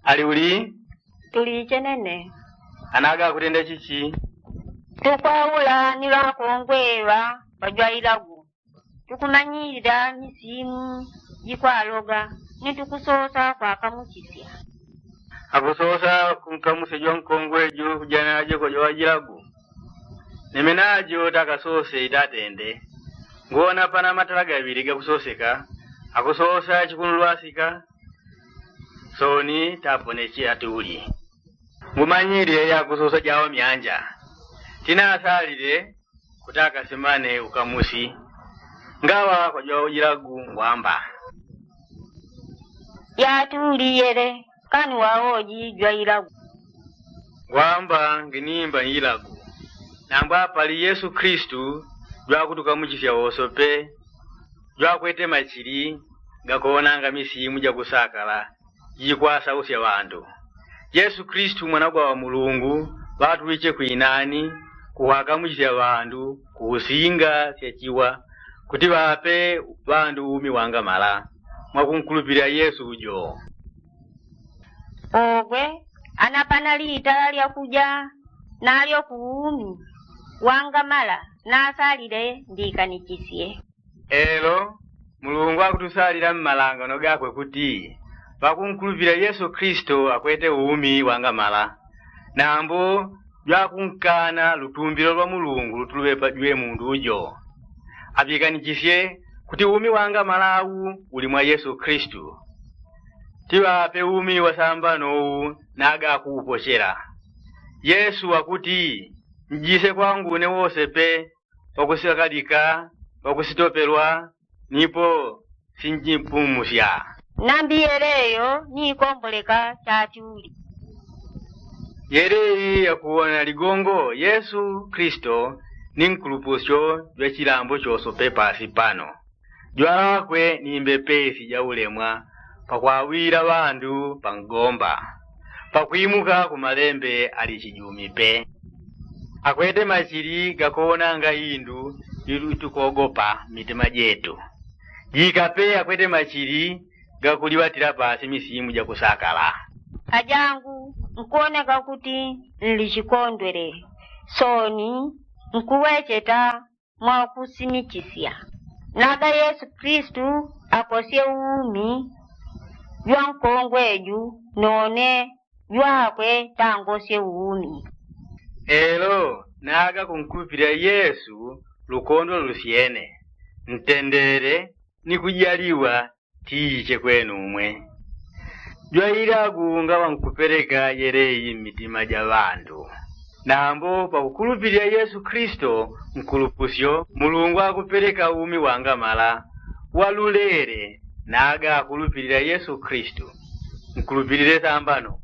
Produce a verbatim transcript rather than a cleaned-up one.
Ali uli? Tuli ichenene. Anaga akutenda chichi? Tukwaula ni ŵakongwe ŵa ŵajwailagu, tukumanyilila misimu jikwaloga, ni tukusosa kwakamuchisya. Akusosa kunkamusya jwankongwe ju kujanaje kwa jwawajilagu. Nimenajo takasose itatende. Ngona pana matala gaŵili gakusoseka. Akusosa chikunulwasika. Soni taponeche ati uli. Ngumanyilile yakusosa jawo myanja. Tinasalile kutaka simane ukamusi. Ngawa kwa jwawojilagu ngwamba. Yati uli yele kani wawoji jwailagu. Ngwamba nginimba nyilagu. Nambwa pali yesu kristu jwakutukamuchisya wosope. Jwakwete machili gakoonanga misimu jakusakala jikwasausya ŵandu. Yesu kristu mwanagwa wa mulungu ŵatuwiche kwinani kuhakamuchisya ŵandu kuusinga sya chiwa kuti ŵape ŵandu umi wangamala. Mwakunkulupilila yesu ujo. Ogwe anapana litala lyakuja nalyo kuumi wangamala nasalile ndikanichisye. Elo mulungu akutusalila mmalangano gakwe kuti ŵakunkulupila yesu kristu akwete umi wangamala. Nambo jwakunkana lutumbilo lwa mulungu lutuluŵepa jwe mundu ujo. Aŵikanichisye kuti umi wangamala au uli mwa yesu kristu. Tiŵape umi wasambano u naga akuupochela. Yesu akuti njise kwangu une wose pe wakusikalika wakusitopelwa nipo sinjipumusya. Nambi yeleyo niikomboleka chati uli. Yeleyi yakuwona ligongo yesu kristu ni nkulupusyo jwa chilambo chose pe pasi pano. Jwalakwe ni mbepesi ja ulemwa pakwawila ŵandu pangomba pakwimuka ku malembe ali chijumi pe. Akwete machili gakoonanga indu itukogopa mmitima jetu. Jika pe akwete machili gakuliŵatila pasi misimu jakusakala. Ajangu nkuwoneka kuti nli chikondwele soni nkuwecheta mwakusimichisya. Naga yesu kristu akosye uumi jwankongwe ju none jwakwe tangosye uumi. Elo naga kunkulupilila yesu lukondwa lusyene ntendele ni kujaliwa tiiche kwenumwe. Jwailagu ngaŵa nkupeleka yeleyi mmitima ja ŵandu. Nambo pakukulupilila yesu kristu nkulupusyo mulungu akupeleka umi wangamala walulele. Naga akulupilila yesu kristu nkulupilile sambano